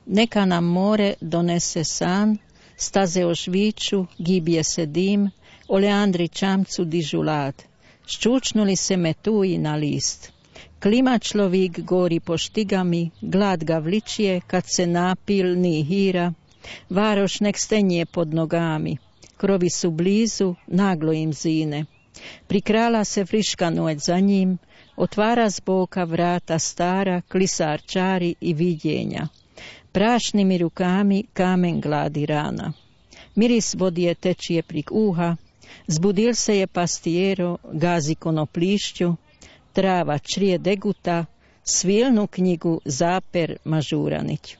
Neka nam more donese san, staze ožviću, gibje se dim, oleandri čamcu dižu lad. Ščučnuli se metuji na list. Klima človik gori po štigami, glad ga vličije, kad se napil ni hira. Varoš nek stenje pod nogami, krovi su blizu, naglo im zine. Prikrala se friška noć za njim, otvara z boka vrata stara, klisar čari i vidjenja. Prašnimi rukami kamen gladi rana. Miris vodije tečije prik uha, zbudil se je pastijero, gazi konoplišću, trava črije deguta, svilnu knjigu zaper Mažuranić.